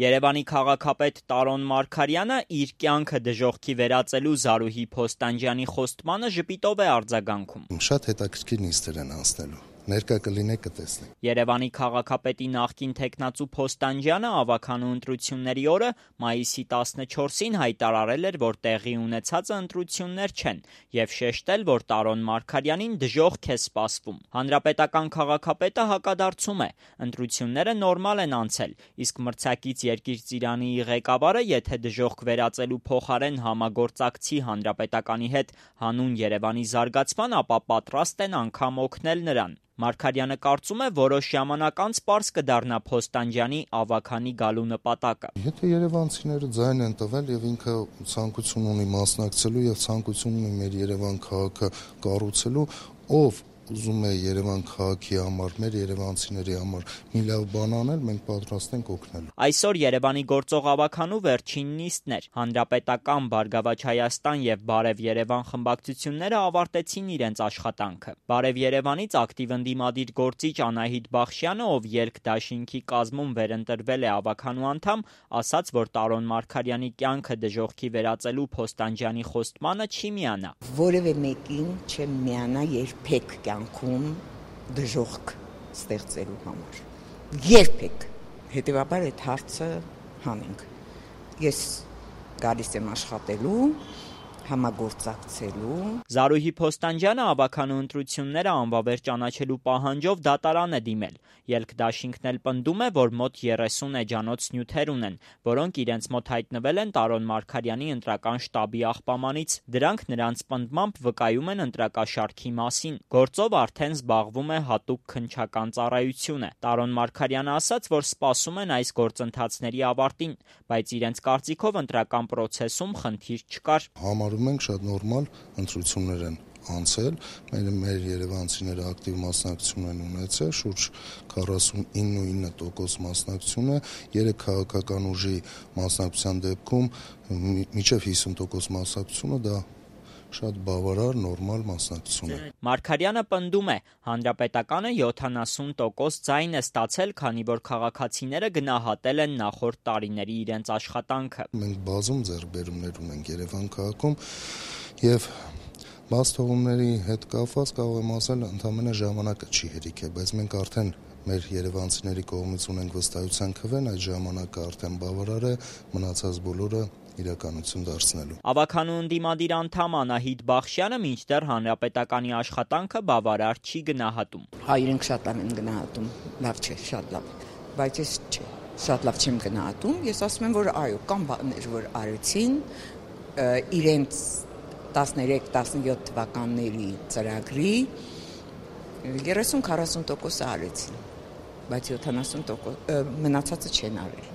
Երևանի քաղաքապետ Տարոն Մարգարյանը իր կյանքը դժոխքի վերածելու Զարուհի Փոստանջյանի խոստմանը ժպիտով է արձագանքում. Շատ հետաքրքիր նիստեր են անցնելու, ներկա կլինեք կտեսնեք։ Երևանի քաղաքապետի նախկին թեկնածու Փոստանջյանը ավականու ընտրությունների օրը մայիսի 14-ին հայտարարել էր, որ տեղի ունեցածը ընտրություններ չեն եւ շեշտել, որ Տարոն Մարգարյանին դժոխք է սպասվում։ Հանրապետական քաղաքապետը հակադարձում է. ընտրությունները նորմալ են անցել, իսկ մրցակից Երկիր Ծիրանի ղեկավարը, եթե դժոխք վերածելու փոխարեն համագործակցի Հանրապետականի հետ հանուն Երևանի զարգացման, ապա պատրաստ են անգամ օգնել նրան։ Մարգարյանը կարծում է, որոշ ժամանակ անց պարզ կդառնա Փոստանջյանի ավաքանի գալու նպատակը։ Եթե երևանցիները ձայն են տվել եւ ինքը ցանկություն ունի մասնակցելու եւ ցանկություն ունի մեր Երևան քաղաքը կառուցելու, ով ուզում է Երևան քաղաքի համար, մեր երևանցիների համար մի լավ բան անել, մենք պատրաստ ենք օգնելու։ Այսօր Երևանի գործող ավականու վերջին նիստն էր։ Հանրապետական, Բարգավաճ Հայաստան եւ Բարև Երևան խմբակցությունները ավարտեցին իրենց աշխատանքը։ Բարև Երևանից ակտիվ ընդդիմադիր գործիչ Անահիտ Բախշյանը, ով ելք դաշինքի կազմում վերընտրվել է ավականու անդամ, ասաց, որ Տարոն Մարգարյանի կյանքը դժոխքի վերածելու Փոստանջյանի խոստմանը չի միանա։ Որևէ մեկին չեմ միանա երբեք կյանքում դժոխք ստեղծելու համար։ Երբեք։ Հետևաբար այդ հարցը հանենք։ Ես գալիս եմ աշխատելու, համագործակցելու։ Զարուհի Փոստանջյանը ավականու ընտրությունները անվավեր ճանաչելու պահանջով դատարան է դիմել։ Ելք դաշինքն էլ պնդում է, որ մոտ 30 էջանոց նյութեր ունեն, որոնք իրենց մոտ հայտնվել են Տարոն Մարգարյանի ընտրական շտաբի աղբամանից։ Դրանք նրանց պնդմամբ վկայում են ընտրակաշարքի մասին։ Գործով արդեն զբաղվում է հատուկ քննչական ծառայությունը։ Տարոն Մարգարյանը ասաց, որ սպասում են այս գործընթացների ավարտին, բայց իրենց կարծիքով ընտրական պրոցեսում խնդիր չկար։ Համարում ենք շատ նորմալ ընտրություններ են անցել, մեր երևանցիները ակտիվ մասնակցություն են ունեցել, շուրջ 49% մասնակցություն է, 3 քաղաքական ուժի մասնակցության դեպքում մինչև 50% մասնակցությունը դա շատ բավարար նորմալ մասնակցություն է։ Մարգարյանը պնդում է, հանրապետականը 70% ձայն է ստացել, քանի որ քաղաքացիները գնահատել են նախորդ տարիների իրենց աշխատանքը։ Մենք բազում ձեռքբերումներ ունենք Երևան քաղաքում եւ բաց թողումների հետ կապված կարող եմ ասել, ընդամենը ժամանակը չի հերիք է, բայց մենք արդեն մեր երևանցիների կողմից ունենք վստահության քվեն, այդ ժամանակը արդեն բավարար է, մնացած բոլորը իրականություն դարձնելու։ Ավականու ընդդիմադիր անդամ Անահիտ Բախշյանը մինչդեռ հանրապետականի աշխատանքը բավարար չի գնահատում։ Իրենք շատ լավ են գնահատում, լավ չէ, շատ լավ, բայց ես չէ, շատ լավ չեմ գնահատում, ես ասում եմ, որ այո, կան բաներ, որ արեցին, իրենց 13-17 թվականների ծրագրի 30-40% արեցին, բայց 70% մնացածը չեն արել։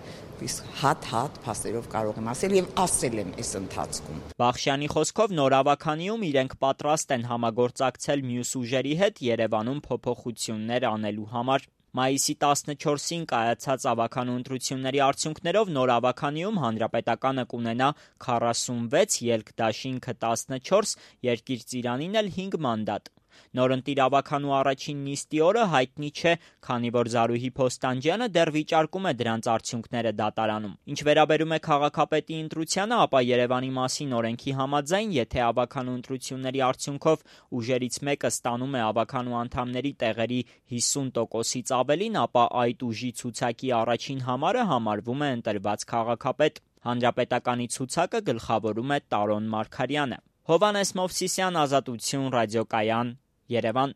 Իսկ հատ փաստերով կարող եմ ասել եւ ասել եմ այս ընթացքում։ Բախշյանի խոսքով նոր ավականիում իրենք պատրաստ են համագործակցել մյուս ուժերի հետ Երևանում փոփոխություններ անելու համար։ Մայիսի 14-ին կայացած ավականու ընտրությունների արդյունքներով նոր ավականիում հանրապետականը կունենա 46, ելք դաշինքը 14, Երկիր Ծիրանին էլ 5 մանդատ։ Նորընտիր ավականու առաջին նիստի օրը հայտնի չէ, քանի որ Զարուհի Փոստանջյանը դեռ վիճարկում է դրանց արդյունքները դատարանում։ Ինչ վերաբերում է քաղաքապետի ընտրությանը, ապա Երևանի մասին օրենքի համաձայն, եթե ավականու ընտրությունների արդյունքով ուժերից մեկը ստանում է ավականու անդամների տեղերի 50%-ից ավելին, ապա այդ ուժի ցուցակի առաջին համարը համարվում է ընտրված քաղաքապետ։ Հանրապետականի ցուցակը գլխավորում է Տարոն Մարգարյանը։ Հովհաննես Մովսիսյան, Ազատություն, ռադիոկայան, Երևան։